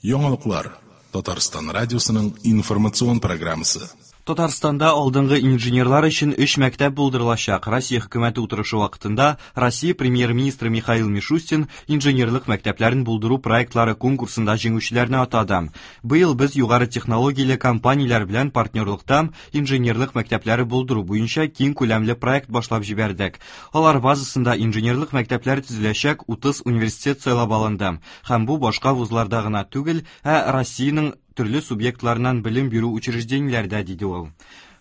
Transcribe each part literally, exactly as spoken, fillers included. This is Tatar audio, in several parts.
Яңалыклар. Татарстан радиосының информацион программасы. Татарстанда алдынгы инженерлар өчен өч мәктәп булдырылачак. Россия хөкүмәте утырышы вакытында Россия премьер-министры Михаил Мишустин инженерлык мәктәпләрен булдыру проектлары конкурсында җиңүчеләрне атады. Быел без югары технологияле компанияләр белән партнерлыкта инженерлык мәктәпләре булдыру буенча киң күләмле проект башлап җибәрдек. Алар базасында инженерлык мәктәпләре төзеләчәк утыз университет сайлап алынды. Һәм бу башка вузларда гына түгел, ә Россиянең төрле субъектларынан белем бирү учреждениеләрдә, диде ул.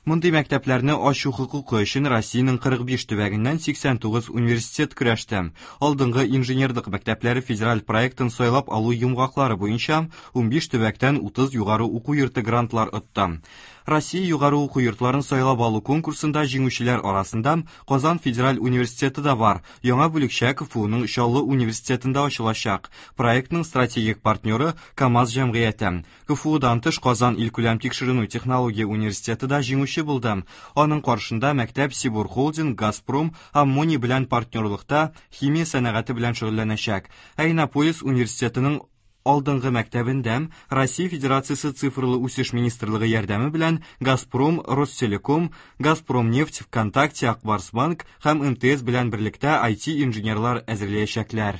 Мондый мәктәпләрне ачу хокукы өчен Россиянең кырык биш төбәгеннән сиксән тугыз университет көрәште. Алдынгы инженерлык мәктәпләре федераль проектын сайлап алу йомгаклары буенча унбиш төбәктән утыз югары уку йорты грантлар отты. Россия югары уку йортларын сайлап алу конкурсында җиңүчеләр арасында Казан федераль университеты да бар. Яңа бүлекчә КФУның Чаллы университетында ачылачак. Проектның стратегик партнеры КАМАЗ җәмгыяте. КФУдан тыш Казан илкүләм тикшеренү технология университеты да җиңүче булды. Аның каршында мәктәп Сибур Холдинг, Газпром, Аммоний белән партнерлыкта химия сәнәгате белән шөгыльләнәчәк. Ә Иннополис университетының алдынгы мәктәбендә Россия Федерациясе цифрлы үсеш министрлыгы ярдәме белән Газпром, Ростелеком, Газпром нефть, ВКонтакте, Акбарс банк һәм эм тэ эс белән берлектә ай ти инженерлар әзерләячәкләр.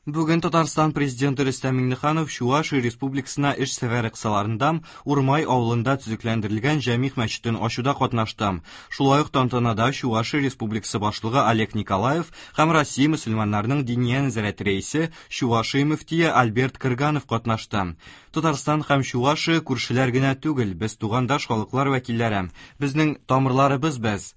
Бүген Татарстан президенты Рөстәм Миңнеханов Чувашия Республикасына эш сәфәре кысаларында Урмай авылында төзекләндерелгән Җәмигъ мәчетен ачуда катнашты. Шулай ук тантанада Чувашия Республикасы башлыгы Олег Николаев һәм Россия мөселманнарының диния нәзарәте рәисе Чувашия мөфтие Альберт Крганов катнашты. Татарстан һәм Чувашия күршеләр генә түгел, без тугандаш халыклар вәкилләре. Безнең тамырларыбыз без.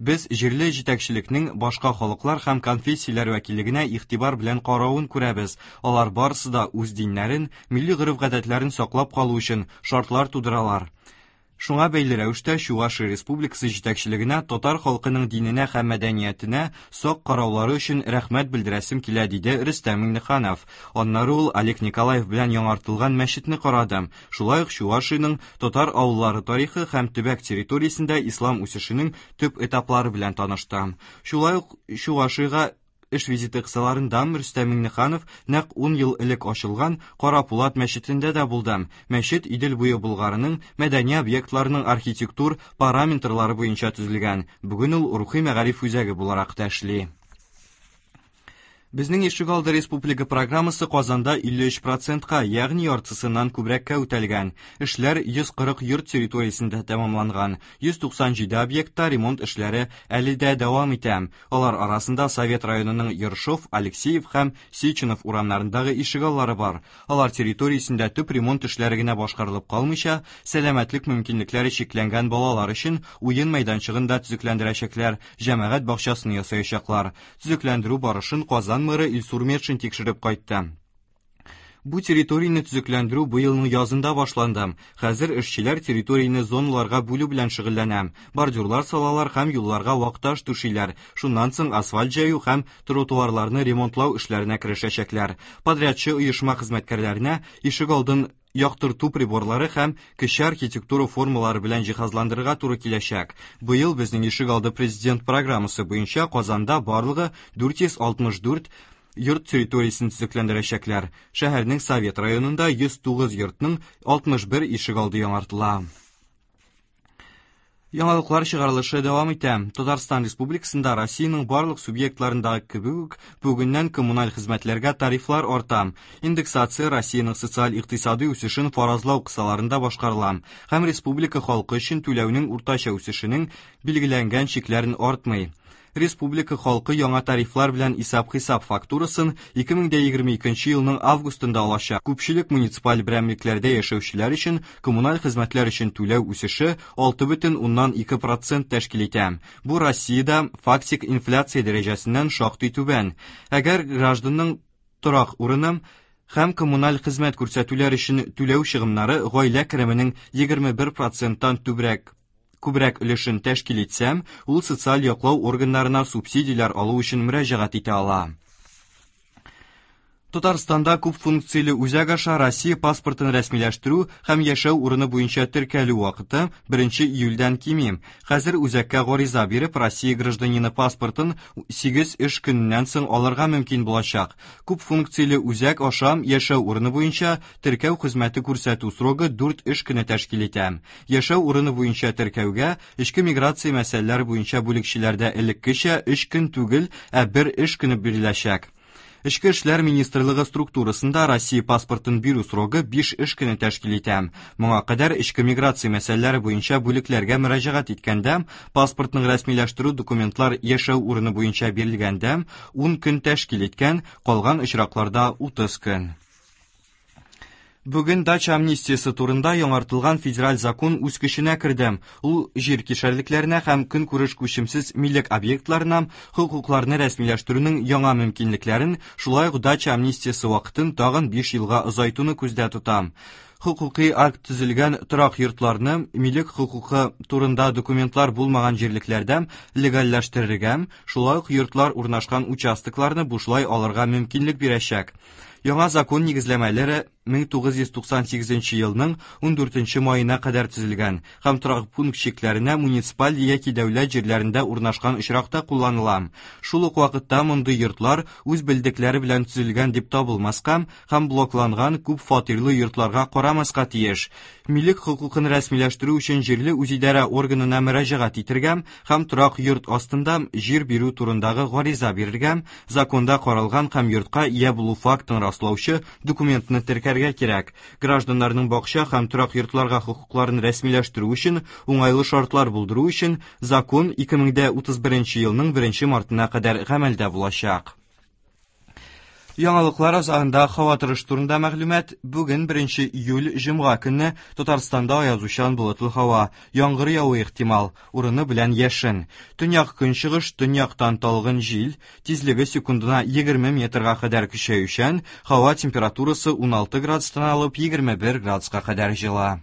Без җирле җитәкчелекнең башка халыклар һәм конфессияләр вәкиллегенә игътибар белән каравын күрәбез. Алар барысы да үз диннәрен, милли гореф-гадәтләрен саклап калу өчен шартлар тудыралар. Шуңа бәйле рәвештә Чувашия Республикасы җитәкчелегенә татар халкының диненә һәм мәдәниятенә сак караулары өчен рәхмәт белдерәсем килә, диде Рөстәм Миңнеханов. Аннары ул Олег Николаев белән яңартылган мәчетне карады. Шулай ук Чувашиянең татар авыллары тарихы һәм төбәк территориясендә ислам үсешенең төп этаплары белән танышты. Шулай ук Чувашиягә эш визиты кысаларында Рөстәм Миңнеханов нәкъ ун ел элек ачылган Кара Пулат мәчетендә дә булды. Мәчет Идел буе Болгарының мәдәни объектларының архитектур параметрлары буенча төзелгән. Бүген ул рухи мәгариф үзәге буларак та эшли. Безнең Ишегалды республика программасы Казанда илле өч процентка, ягъни яртысыннан күбрәккә үтәлгән. Эшләр йөз кырык йорт территориясендә тәмамланган. Йөз туксан җиде объектта ремонт эшләре әле дә дәвам итә. Алар арасында Совет районының Ершов, Алексеев һәм Сеченов урамнарындагы ишегаллары бар. Алар территориясендә төп ремонт эшләре генә башкарылып калмыйча, сәламәтлек мөмкинлекләре чикләнгән балалар өчен уен мәйданчыгын да төзекләндерәчәкләр, җәмәгать бакчасын ясаячаклар. Төзекләндерү барышын Казан мэры Илсур Метшин тикшереп кайтты. Бу территорияне төзекләндерү быелның язында башланды. Хәзер эшчеләр территорияне зоналарга бүлү белән шөгыльләнә. Бордюрлар салалар һәм юлларга вак таш түшиләр. Шуннан соң асфальт җәю һәм тротуарларны ремонтлау эшләренә керешәчәкләр. Подрядчы оешма хезмәткәрләренә ишегалдын яктырту приборлары һәм кече архитектура формалары белән җиһазландырырга туры киләчәк. Быел безнең ишегалды президент программасы буенча Казанда барлыгы дүрт йөз алтмыш дүрт йорт территориясен төзекләндерәчәкләр. Шәһәрнең Совет районында йөз тугыз йортның алтмыш бер ишегалды яңартыла. Яңалыклар чыгарылышы дәвам итә. Татарстан Республикасында Россиянең барлык субъектларындагы кебек үк бүгеннән коммуналь хезмәтләргә тарифлар арта. Индексация Россиянең социаль-икътисади үсешен фаразлау кысаларында башкарыла һәм республика халкы өчен түләүнең уртача үсешенең билгеләнгән чикләрен артмый. Республика халкы яңа тарифлар белән исәп-хисап фактурасын ике мең дә егерме икенче елның августында алачак. Күпчелек муниципаль берәмлекләрдә яшәүчеләр өчен коммуналь хезмәтләр өчен түләү үсеше алты бөтен уннан ике процент тәшкил итә. Бу Россиядә фактик инфляция дәрәҗәсеннән шактый түбән. Әгәр гражданның торак урыны һәм коммуналь хезмәт күрсәтүләр өчен түләү чыгымнары гаилә кеременең егерме бер проценттан түбрәк күбрәк өлешен тәшкил итсәм, ул социаль яклау органнарына субсидияләр алу өчен мөрәҗәгать итә ала. Татарстанда күп функцияле үзәк аша Россия паспортын рәсмиләштерү һәм яшәү урыны буенча теркәлү вакыты беренче июльдән кими. Хәзер үзәккә гариза биреп, Россия гражданины паспортын сигез эш көненнән соң алырга мөмкин булачак. Күп функцияле үзәк аша яшәү урыны буенча теркәү хезмәте күрсәтү срогы дүрт эш көне тәшкил итә. Яшәү урыны буенча теркәүгә эчке миграция мәсьәләләре буенча бүлекчеләрдә элеккечә өч көн түгел, ә бер эш көне биреләчәк. Эчке эшләр министрлыгы структурасында Россия паспортын бирү срогы биш эш көне тәшкил итә. Моңа кадәр эчке миграция мәсьәләләре буенча бүлекләргә мөрәҗәгать иткәндә, паспортның рәсмиләштерү документлар яшәү урыны буенча бирелгәндә ун көн тәшкил иткән, калган очракларда утыз көн. Бүген дача амнистиясе турында яңартылган федераль закон үз көченә керде. Ул җир кишәрлекләренә һәм көнкүреш күчемсез милек объектларына хокукларны рәсмиләштерүнең яңа мөмкинлекләрен, шулай ук дача амнистиясе вакытын тагын биш елга озайтуны күздә тота. Хокукый акт төзелгән торак йортларны милек хокукы турында документлар булмаган җирлекләрдә легальләштерергә, шулай ук йортлар урнашкан участокларны бушлай алырга мөмкинлек бирәчәк. Яңа закон нигезләмәләре мең тугыз йөз туксан сигезенче елның ундүртенче маена кадәр төзелгән һәм торак пункт чикләренә муниципаль яки дәүләт җирләрендә урнашкан очракта кулланыла. Шул ук вакытта мондый йортлар үз белдекләре белән төзелгән дип табылмаска һәм блокланган күп фатирлы йортларга карамаска тиеш. Милек хокукын рәсмиләштерү өчен җирле үзидарә органына мөрәҗәгать итергә һәм торак йорт астында җир бирү турындагы гариза бирергә, законда каралган һәм йортка ия булу фактын раслаучы документны теркәргә кирәк. Гражданнарның бакча һәм торак йортларга хокукларын рәсмиләштерү өчен уңайлы шартлар булдыру өчен закон ике мең дә утыз беренче елның беренче мартына кадәр гамәлдә булачак. Яңалыклар азагында һава торышы турында мәгълүмат. Бүген беренче июль җомга көнне Татарстанда аязучан болытлы һава, яңгыр явуы ихтимал, урыны белән яшен. Төньяк көнчыгыш, төньяктан талгын җил, тизлеге секундына егерме метрга кадәр көчәючән, һава температурасы уналты градустан алып егерме бер градуска кадәр җылы.